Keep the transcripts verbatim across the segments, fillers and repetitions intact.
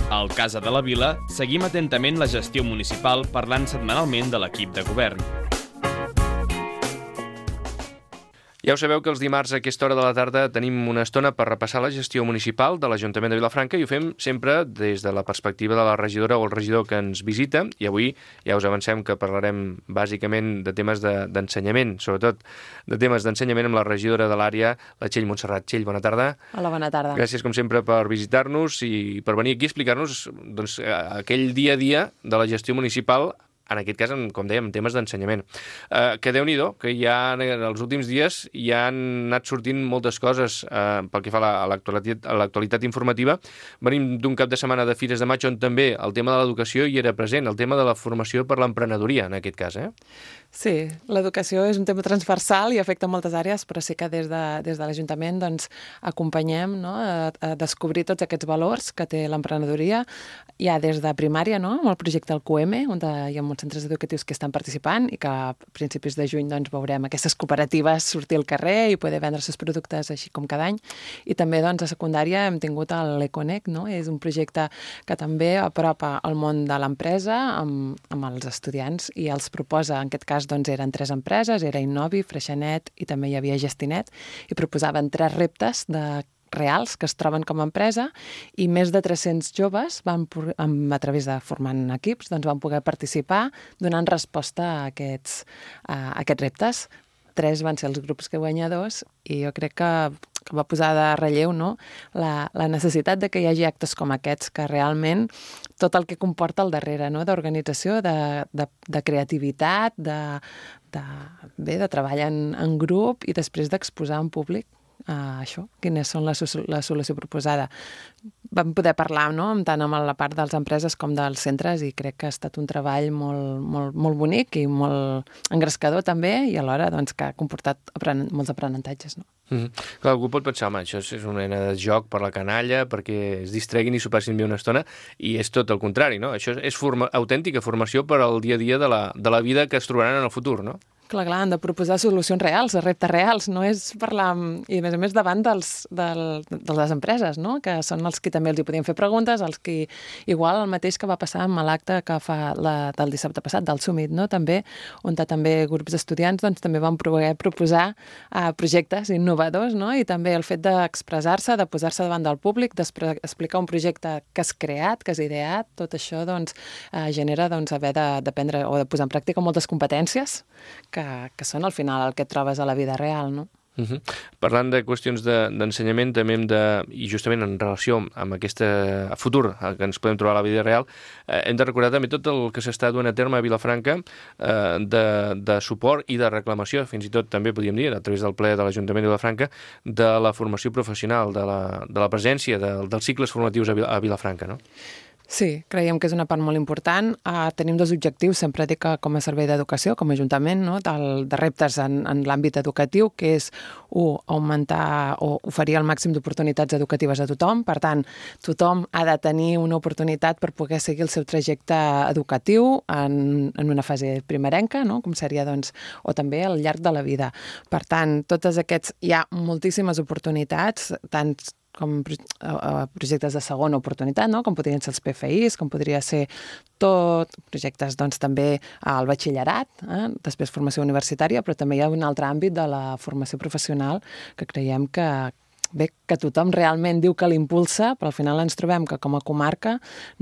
Al Casa de la Vila seguim atentament la gestió municipal parlant setmanalment de l'equip de govern. Ja ho sabeu que els dimarts a aquesta hora de la tarda tenim una estona per repassar la gestió municipal de l'Ajuntament de Vilafranca i ho fem sempre des de la perspectiva de la regidora o el regidor que ens visita, i avui ja us avancem que parlarem bàsicament de temes d'ensenyament, de, sobretot de temes d'ensenyament amb la regidora de l'àrea, la Txell Montserrat. Txell, bona tarda. Hola, bona tarda. Gràcies, com sempre, per visitar-nos i per venir aquí a explicar-nos doncs, aquell dia a dia de la gestió municipal, en aquest cas, com dèiem, temes d'ensenyament. Eh, que Déu-n'hi-do, que ja en els últims dies ja han anat sortint moltes coses eh, pel que fa a l'actualitat informativa. Venim d'un cap de setmana de Fires de Maig on també el tema de l'educació hi era present, el tema de la formació per l'emprenedoria, en aquest cas, eh? Sí, l'educació és un tema transversal i afecta moltes àrees, però sí que des de, des de l'Ajuntament doncs, acompanyem, no?, a, a descobrir tots aquests valors que té l'emprenedoria, ja des de primària, no?, amb el projecte del Q M, on hi ha molts centres educatius que estan participant i que a principis de juny doncs, veurem aquestes cooperatives sortir al carrer i poder vendre els seus productes així com cada any. I també doncs, a secundària hem tingut l'Econec, no?, és un projecte que també apropa el món de l'empresa amb, amb els estudiants i els proposa, en aquest cas, doncs eren tres empreses, era Innovi, Freixenet i també hi havia Gestinet, i proposaven tres reptes de reals que es troben com a empresa i més de tres-cents joves van, a través de formant equips, doncs van poder participar donant resposta a aquests, a aquests reptes. Tres van ser els grups que guanyadors i jo crec que, que va posar de relleu, no?, la, la necessitat de que hi hagi actes com aquests que realment tot el que comporta al darrere, no?, d'organització, de, de, de creativitat, de, de, bé, de treballar en, en grup i després d'exposar en públic uh, això, quines són la, la solució proposada. Vam poder parlar, no?, tant amb la part de les empreses com dels centres i crec que ha estat un treball molt, molt, molt bonic i molt engrescador també i alhora doncs, que ha comportat apren molts aprenentatges, no? Mm-hmm. Clar, algú pot pensar, home, això és una mena de joc per la canalla perquè es distreguin i s'ho passin bé una estona i és tot el contrari, no? Això és forma, autèntica formació per al dia a dia de la, de la vida que es trobaran en el futur, no? Clar, clar, han de proposar solucions reals, reptes reals, no és parlar, i a més a més davant dels, del, de les empreses, no?, que són els que també els hi podien fer preguntes, els que, igual el mateix que va passar amb l'acte que fa la, del dissabte passat, del Summit, no?, també, on també grups d'estudiants doncs, també van poder proposar uh, projectes innovadors, no?, i també el fet d'expressar-se, de posar-se davant del públic, d'explicar un projecte que has creat, que has ideat, tot això doncs, uh, genera doncs, haver d'aprendre o de posar en pràctica moltes competències que Que, que són al final el que et trobes a la vida real, no? Uh-huh. Parlant de qüestions d'ensenyament, de, també hem de, i justament en relació amb aquest futur que ens podem trobar a la vida real, eh, hem de recordar també tot el que s'està duent a terme a Vilafranca eh, de, de suport i de reclamació, fins i tot també podríem dir, a través del ple de l'Ajuntament de Vilafranca, de la formació professional, de la, de la presència de, dels cicles formatius a, a Vilafranca, no? Sí, creiem que és una part molt important. Uh, tenim dos objectius, sempre dic que com a servei d'educació, com a Ajuntament, no? Del, de reptes en, en l'àmbit educatiu, que és, un, augmentar o oferir el màxim d'oportunitats educatives a tothom. Per tant, tothom ha de tenir una oportunitat per poder seguir el seu trajecte educatiu en, en una fase primerenca, no? Com seria, doncs, o també al llarg de la vida. Per tant, totes aquests, hi ha moltíssimes oportunitats, tant com projectes de segona oportunitat, no? Com podrien ser els P F Is, com podria ser tot, projectes doncs, també al batxillerat, eh? Després formació universitària, però també hi ha un altre àmbit de la formació professional que creiem que, bé, que tothom realment diu que l'impulsa, però al final ens trobem que com a comarca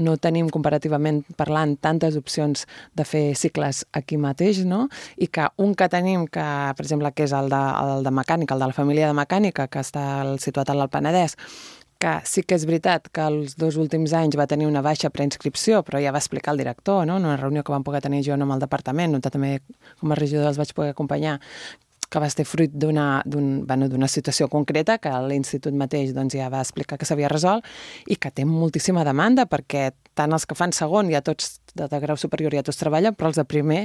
no tenim comparativament parlant tantes opcions de fer cicles aquí mateix, no? I que un que tenim, que per exemple que és el de, el de mecànica, el de la família de mecànica, que està situat a l'Alt Penedès, que sí que és veritat que els dos últims anys va tenir una baixa preinscripció, però ja va explicar el director, no? En una reunió que vam poder tenir jo amb el departament, on també com a regidor els vaig poder acompanyar, que va ser fruit d'una un, bueno, d'una situació concreta que l'institut mateix doncs, ja va explicar que s'havia resolt i que té moltíssima demanda perquè tant els que fan segon ja tots de, de grau superior ja tots treballen, però els de primer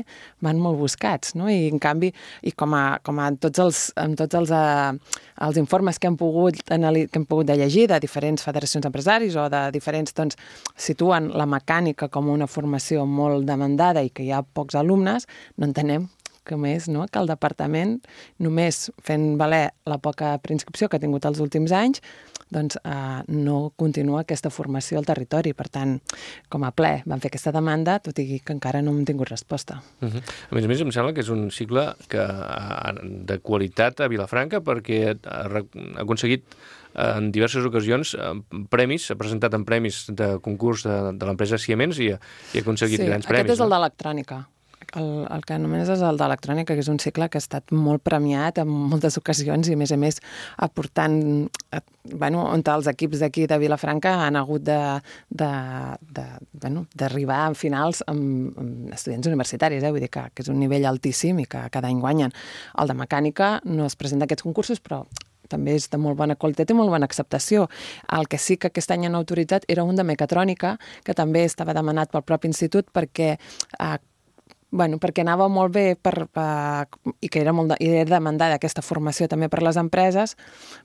van molt buscats, no? I en canvi, i com a, com a tots els, en tots els, uh, els informes que hem pogut que hem pogut de llegir de diferents federacions d'empresaris o de diferents, doncs, situen la mecànica com una formació molt demandada i que hi ha pocs alumnes, no entenem que més, no? Que el departament, només fent valer la poca preinscripció que ha tingut els últims anys, doncs, eh, no continua aquesta formació al territori. Per tant, com a ple van fer aquesta demanda, tot i que encara no hem tingut resposta. Uh -huh. A més a més, em sembla que és un cicle que, de qualitat a Vilafranca, perquè ha aconseguit en diverses ocasions premis, s'ha presentat en premis de concurs de, de l'empresa Siemens i, i ha aconseguit sí, grans premis. Sí, aquest és el no? d'electrònica. El, el que anomenes és el d'electrònica, que és un cicle que ha estat molt premiat en moltes ocasions i, a més a més, aportant, bueno, on els equips d'aquí de Vilafranca han hagut de, de, de, bueno, d'arribar a finals amb, amb estudiants universitaris, eh? Vull dir que, que és un nivell altíssim i que cada any guanyen. El de mecànica no es presenta a aquests concursos, però també és de molt bona qualitat i molt bona acceptació. El que sí que aquest any han autoritzat era un de mecatrònica, que també estava demanat pel propi institut perquè eh, bueno, perquè anava molt bé per, per, i que era, molt de, i era demandada aquesta formació també per les empreses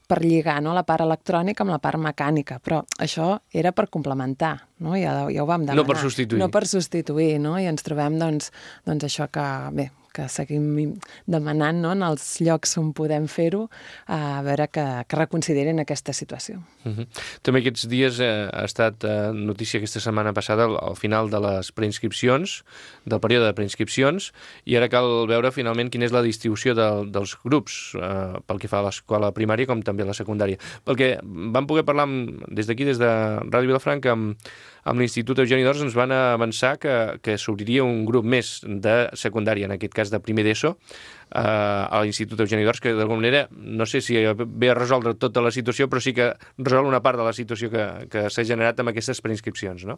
per lligar, no, la part electrònica amb la part mecànica, però això era per complementar, no? Ja, ja ho vam demanar. No per substituir. No per substituir, no? I ens trobem, doncs, doncs això que, bé, que seguim demanant, no, en els llocs on podem fer-ho, a veure que, que reconsiderin aquesta situació. Uh-huh. També aquests dies eh, ha estat eh, notícia aquesta setmana passada al, al final de les preinscripcions, del període de preinscripcions, i ara cal veure finalment quina és la distribució de, dels grups eh, pel que fa a l'escola primària com també a la secundària. Perquè vam poder parlar amb, des d'aquí, des de Ràdio Vilafranca, amb, amb l'Institut Eugeni d'Ors, ens van avançar que, que s'obriria un grup més de secundària, en aquest cas de primer d'ESO, eh, a l'Institut Eugeni d'Ors, que d'alguna manera, no sé si ve a resoldre tota la situació, però sí que resol una part de la situació que, que s'ha generat amb aquestes preinscripcions, no?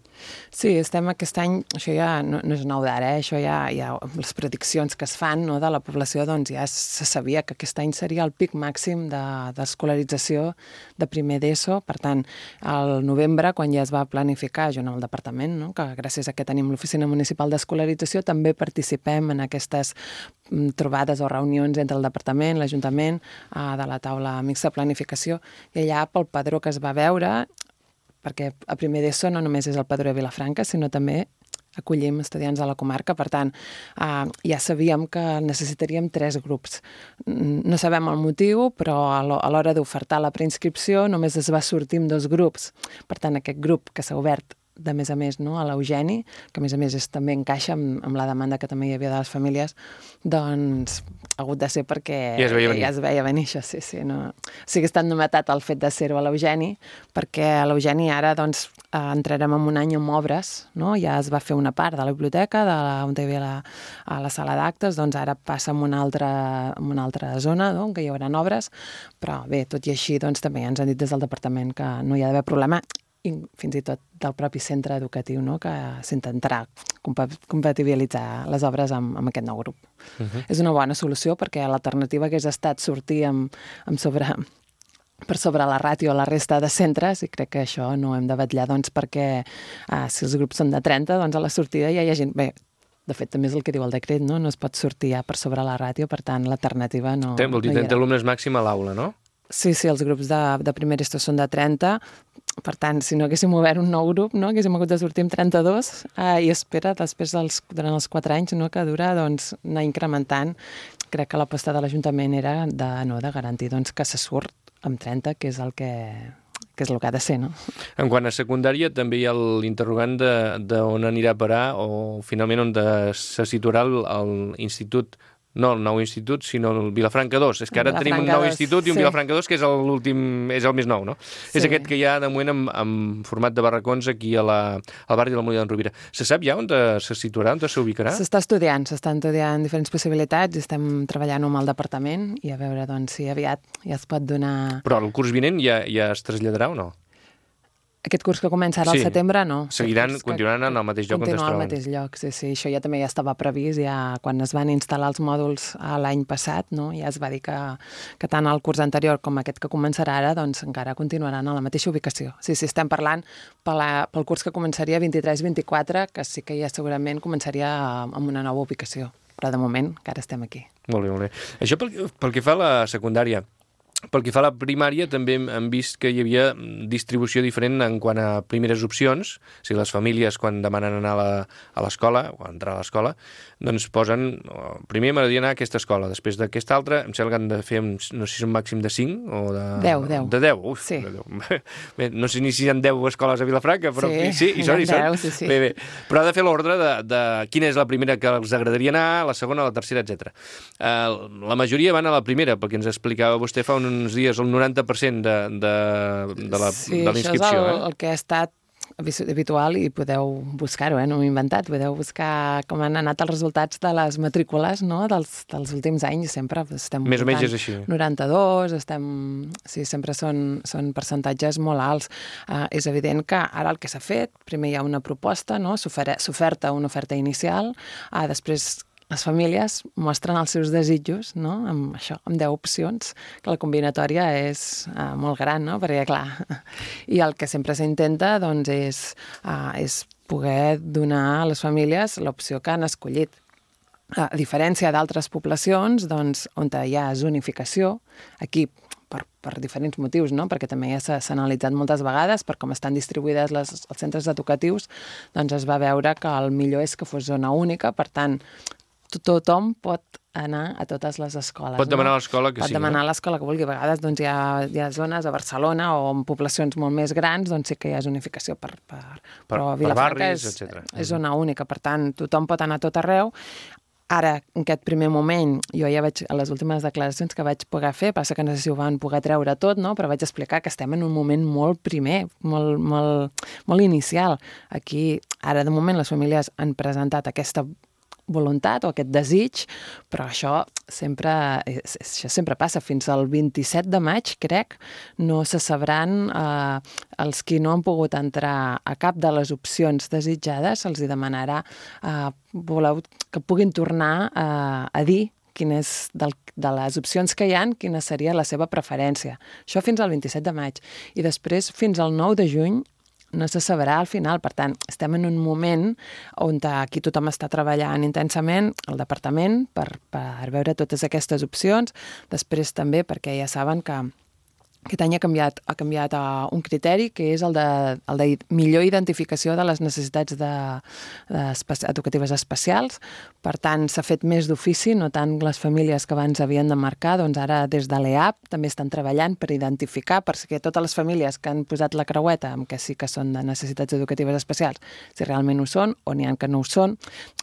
Sí, estem aquest any, això ja no, no és nou d'ara, eh? Això ja, ja, les prediccions que es fan, no, de la població, doncs ja se sabia que aquest any seria el pic màxim d'escolarització de, de primer d'ESO. Per tant, al novembre, quan ja es va planificar, jo en el departament, no, que gràcies a que tenim l'Oficina Municipal d'Escolarització, també participem en aquestes trobades o reunions entre el departament, l'Ajuntament, eh, de la taula mixta de planificació, i allà pel padró que es va veure, perquè a primer d'ESO no només és el padró de Vilafranca, sinó també acollim estudiants de la comarca, per tant, eh, ja sabíem que necessitaríem tres grups. No sabem el motiu, però a l'hora d'ofertar la preinscripció només es va sortir amb dos grups. Per tant, aquest grup que s'ha obert de més a més, no, a l'Eugeni, que a més a més és, també encaixa amb, amb la demanda que també hi havia de les famílies, doncs ha hagut de ser perquè ja es veia venir, ja es veia venir això, sí, sí. No. O sigui, ha estat novetat el fet de ser-ho a l'Eugeni, perquè a l'Eugeni ara doncs, eh, entrarem en un any amb obres, no? Ja es va fer una part de la biblioteca, de la, on hi havia la, a la sala d'actes, doncs ara passa en una altra, en una altra zona, no? Que hi haurà obres, però bé, tot i així, doncs també ja ens han dit des del departament que no hi ha d'haver problema, i fins i tot del propi centre educatiu, no? Que s'intentarà compatibilitzar les obres amb, amb aquest nou grup. Uh-huh. És una bona solució perquè l'alternativa hagués estat sortir amb, amb sobre, per sobre la ràtio a la resta de centres, i crec que això no hem de vetllar, doncs, perquè eh, si els grups són de trenta, doncs a la sortida ja hi ha gent... Bé, de fet, també és el que diu el decret, no? No es pot sortir ja per sobre la ràtio, per tant, l'alternativa no... Té, vol dir, no trenta alumnes màxim a l'aula, no? Sí, sí, els grups de, de primer d'ESO són de trenta, per tant, si no haguéssim obert un nou grup, no? Haguéssim hagut de sortir amb trenta-dos, eh, i espera, després dels, durant els quatre anys, no? Que dura, doncs, anar incrementant. Crec que l'aposta de l'Ajuntament era de, no, de garantir, doncs, que se surt amb trenta, que és el que... que és el que ha de ser, no? En quant a secundària, també hi ha l'interrogant d'on anirà a parar o finalment on de, se situarà l'institut, no el nou institut, sinó el Vilafranca dos. És que ara tenim un nou institut i un sí. Vilafranca dos, que és l'últim, és el més nou, no? Sí. És aquest que hi ha de moment en, en format de barracons aquí a la, al barri de la Molina d'en Rovira. Se sap ja on de, se situarà, on se ubicarà? S'està estudiant, s'estan estudiant diferents possibilitats i estem treballant amb el departament i a veure, doncs, si aviat ja es pot donar... Però el curs vinent ja, ja es traslladarà o no? Aquest curs que comença ara sí. al setembre, no. Seguiran, continuaran en el mateix lloc on es troben. Continua al mateix lloc, sí, sí. Això ja també ja estava previst, ja quan es van instal·lar els mòduls l'any passat, no? Ja es va dir que, que tant el curs anterior com aquest que començarà ara, doncs encara continuaran a la mateixa ubicació. Sí, sí, estem parlant pel, pel curs que començaria vint-i-tres vint-i-quatre, que sí que ja segurament començaria amb una nova ubicació. Però de moment encara estem aquí. Molt bé, molt bé. Això pel, pel que fa a la secundària, pel que fa a la primària, també hem vist que hi havia distribució diferent en quant a primeres opcions. O sigui, les famílies, quan demanen anar a l'escola, o entrar a l'escola, doncs posen, primer m'agradaria anar a aquesta escola, després d'aquesta altra, em sembla que han de fer, no sé si és un màxim de cinc o de... deu, deu. De deu, uf, sí. de deu. Bé, no sé ni si hi ha deu escoles a Vilafranca, però sí, sí, hi són, hi són. deu, sí, sí. Bé, bé. Però ha de fer l'ordre de, de quina és la primera que els agradaria anar, la segona, la tercera, etcètera. Uh, la majoria van a la primera, perquè ens explicava vostè fa uns dies el noranta per cent de, de, de la sí, de la inscripció. Sí, això és el, eh? el que ha estat habitual i podeu buscar-ho, eh? No m'ho he inventat, podeu buscar com han anat els resultats de les matrícules, no? dels, dels últims anys, sempre estem més o menys és així. noranta-dos, estem... sí, sempre són, són percentatges molt alts. Uh, és evident que ara el que s'ha fet, primer hi ha una proposta, no? S'oferta una oferta inicial, uh, després les famílies mostren els seus desitjos, no? Amb això, amb deu opcions, que la combinatòria és uh, molt gran, no? Perquè, clar, i el que sempre s'intenta, doncs, és, uh, és poder donar a les famílies l'opció que han escollit. A diferència d'altres poblacions, doncs, on hi ha zonificació, aquí per, per diferents motius, no? Perquè també ja s'ha analitzat moltes vegades per com estan distribuïdes les, els centres educatius, doncs es va veure que el millor és que fos zona única, per tant, tothom pot anar a totes les escoles. Pot demanar no? a l'escola que pot sí. Pot demanar no? a l'escola que vulgui. A vegades doncs, hi, ha, hi ha zones a Barcelona o en poblacions molt més grans doncs sí que hi ha zonificació per... per, per però per Vilafranca barris, és, etcètera. És zona única, per tant, tothom pot anar a tot arreu. Ara, en aquest primer moment, jo ja veig a les últimes declaracions que vaig poder fer, passa que no sé si ho van poder treure tot, no? Però vaig explicar que estem en un moment molt primer, molt, molt, molt inicial. Aquí, ara, de moment, les famílies han presentat aquesta voluntat o aquest desig, però això sempre, això sempre passa. Fins al vint-i-set de maig, crec, no se sabran eh, els qui no han pogut entrar a cap de les opcions desitjades, se'ls demanarà eh, voleu que puguin tornar eh, a dir quines del, de les opcions que hi ha, quina seria la seva preferència. Això fins al vint-i-set de maig. I després, fins al nou de juny, no se sabrà al final. Per tant, estem en un moment on aquí tothom està treballant intensament, el departament, per, per veure totes aquestes opcions. Després també, perquè ja saben que aquest any ha canviat, ha canviat uh, un criteri, que és el de, el de millor identificació de les necessitats de, de espe educatives especials. Per tant, s'ha fet més d'ofici, no tant les famílies que abans havien de marcar, doncs ara des de l'E A P també estan treballant per identificar, perquè totes les famílies que han posat la creueta amb que sí que són de necessitats educatives especials, si realment ho són o n'hi ha que no ho són.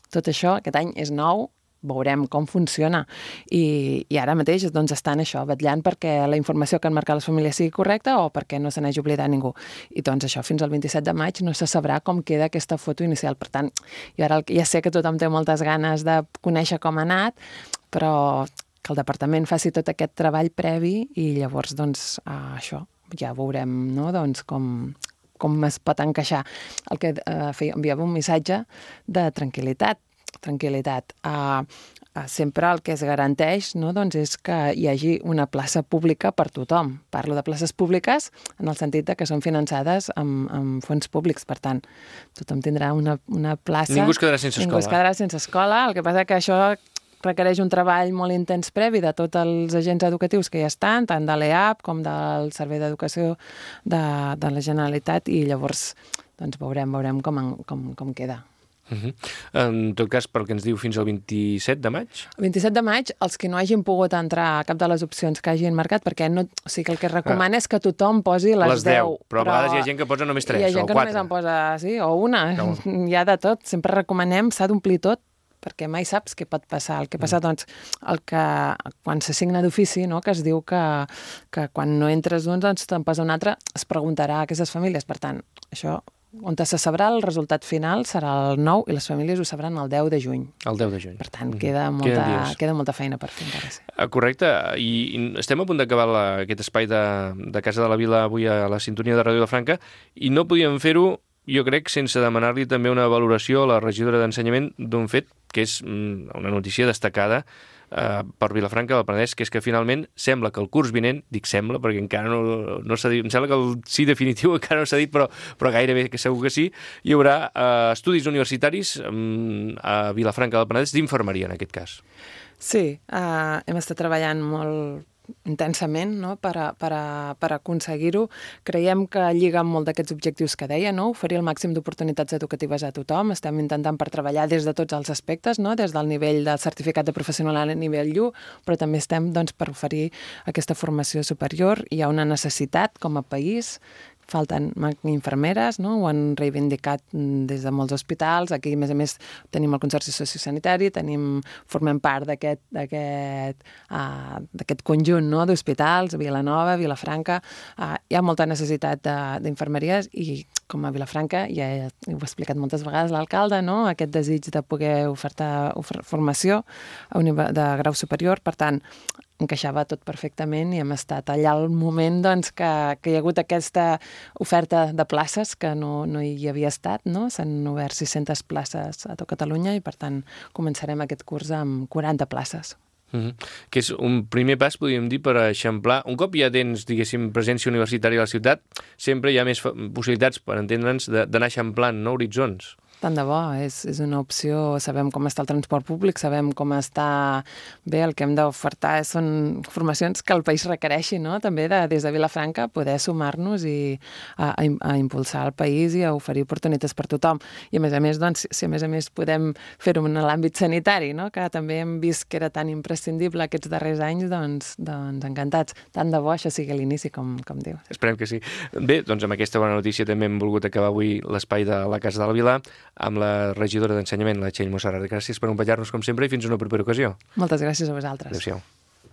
Tot això aquest any és nou, veurem com funciona. I, i ara mateix doncs, estan això, vetllant perquè la informació que han marcat les famílies sigui correcta o perquè no se n'hagi oblidat ningú. I doncs això, fins al vint-i-set de maig no se sabrà com queda aquesta foto inicial. Per tant, jo ara ja sé que tothom té moltes ganes de conèixer com ha anat, però que el departament faci tot aquest treball previ i llavors, doncs, uh, això, ja veurem, no?, doncs, com, com es pot encaixar. El que uh, feia, enviava un missatge de tranquil·litat, tranquil·litat. Uh, uh, sempre el que es garanteix, no, doncs és que hi hagi una plaça pública per tothom. Parlo de places públiques en el sentit de que són finançades amb, amb fons públics. Per tant, tothom tindrà una, una plaça... Ningú es quedarà sense escola. Ningú es quedarà sense escola. El que passa que això requereix un treball molt intens previ de tots els agents educatius que ja estan, tant de l'E A P com del Servei d'Educació de, de la Generalitat, i llavors doncs, veurem, veurem com, com, com queda. Uh -huh. En tot cas, pel que ens diu, fins al vint-i-set de maig? El vint-i-set de maig, els que no hagin pogut entrar a cap de les opcions que hagin marcat, perquè no, o sigui, el que es recomana ah. és que tothom posi les, les deu, deu. Però a vegades hi ha gent que posa només tres o quatre. Hi ha gent que només en posa, sí, o una. No. Hi ha de tot. Sempre recomanem, s'ha d'omplir tot, perquè mai saps què pot passar. El que passa, doncs, el que quan s'assigna d'ofici, no?, que es diu que, que quan no entres un, doncs te'n posa un altre, es preguntarà a aquestes famílies. Per tant, això... on se sabrà el resultat final serà el nou i les famílies ho sabran el deu de juny. El deu de juny. Per tant, queda molta, queda molta feina per fer encara. Sí. Correcte. I, I estem a punt d'acabar aquest espai de, de Casa de la Vila avui a la sintonia de Ràdio Vilafranca i no podíem fer-ho, jo crec, sense demanar-li també una valoració a la regidora d'Ensenyament d'un fet que és una notícia destacada eh, per Vilafranca del Penedès, que és que finalment sembla que el curs vinent, dic sembla perquè encara no, no s'ha dit, em sembla que el sí definitiu encara no s'ha dit, però, però gairebé que segur que sí, hi haurà eh, estudis universitaris eh, a Vilafranca del Penedès d'infermeria en aquest cas. Sí, uh, hem estat treballant molt intensament, no? per, a, per, a, per aconseguir-ho. Creiem que lliga amb molt d'aquests objectius que deia, no? Oferir el màxim d'oportunitats educatives a tothom. Estem intentant per treballar des de tots els aspectes, no? Des del nivell del certificat de professional a nivell u, però també estem doncs, per oferir aquesta formació superior. Hi ha una necessitat com a país. Falten infermeres, no? Ho han reivindicat des de molts hospitals. Aquí, a més a més, tenim el Consorci Sociosanitari, tenim, formem part d'aquest d'aquest uh, d'aquest conjunt, no? D'hospitals, Vilanova, Vilafranca. Uh, hi ha molta necessitat d'infermeries i, com a Vilafranca, ja he, ho he explicat moltes vegades l'alcalde, no? Aquest desig de poder ofertar ofer formació de grau superior. Per tant, encaixava tot perfectament i hem estat allà al moment doncs, que, que hi ha hagut aquesta oferta de places que no, no hi havia estat, no? S'han obert sis-centes places a tot Catalunya i, per tant, començarem aquest curs amb quaranta places. Mm-hmm. Que és un primer pas, podríem dir, per eixamplar. Un cop ja tens, diguéssim, presència universitària a la ciutat, sempre hi ha més possibilitats, per entendre'ns, d'anar eixamplant, no, horitzons. Tant de bo, és, és una opció. Sabem com està el transport públic, sabem com està bé, el que hem d'ofertar són formacions que el país requereixi, no? També de, des de Vilafranca poder sumar-nos i a, a, a impulsar el país i a oferir oportunitats per tothom. I a més a més, doncs, si a més a més podem fer-ho en l'àmbit sanitari, no? Que també hem vist que era tan imprescindible aquests darrers anys, doncs, doncs encantats. Tant de bo això sigui l'inici, com, com dius. Esperem que sí. Bé, doncs amb aquesta bona notícia també hem volgut acabar avui l'espai de la Casa de la Vila amb la regidora d'Ensenyament, la Txell Mossarrat. Gràcies per acompanyar-nos com sempre i fins a una propera ocasió. Moltes gràcies a vosaltres. Adéu-siau.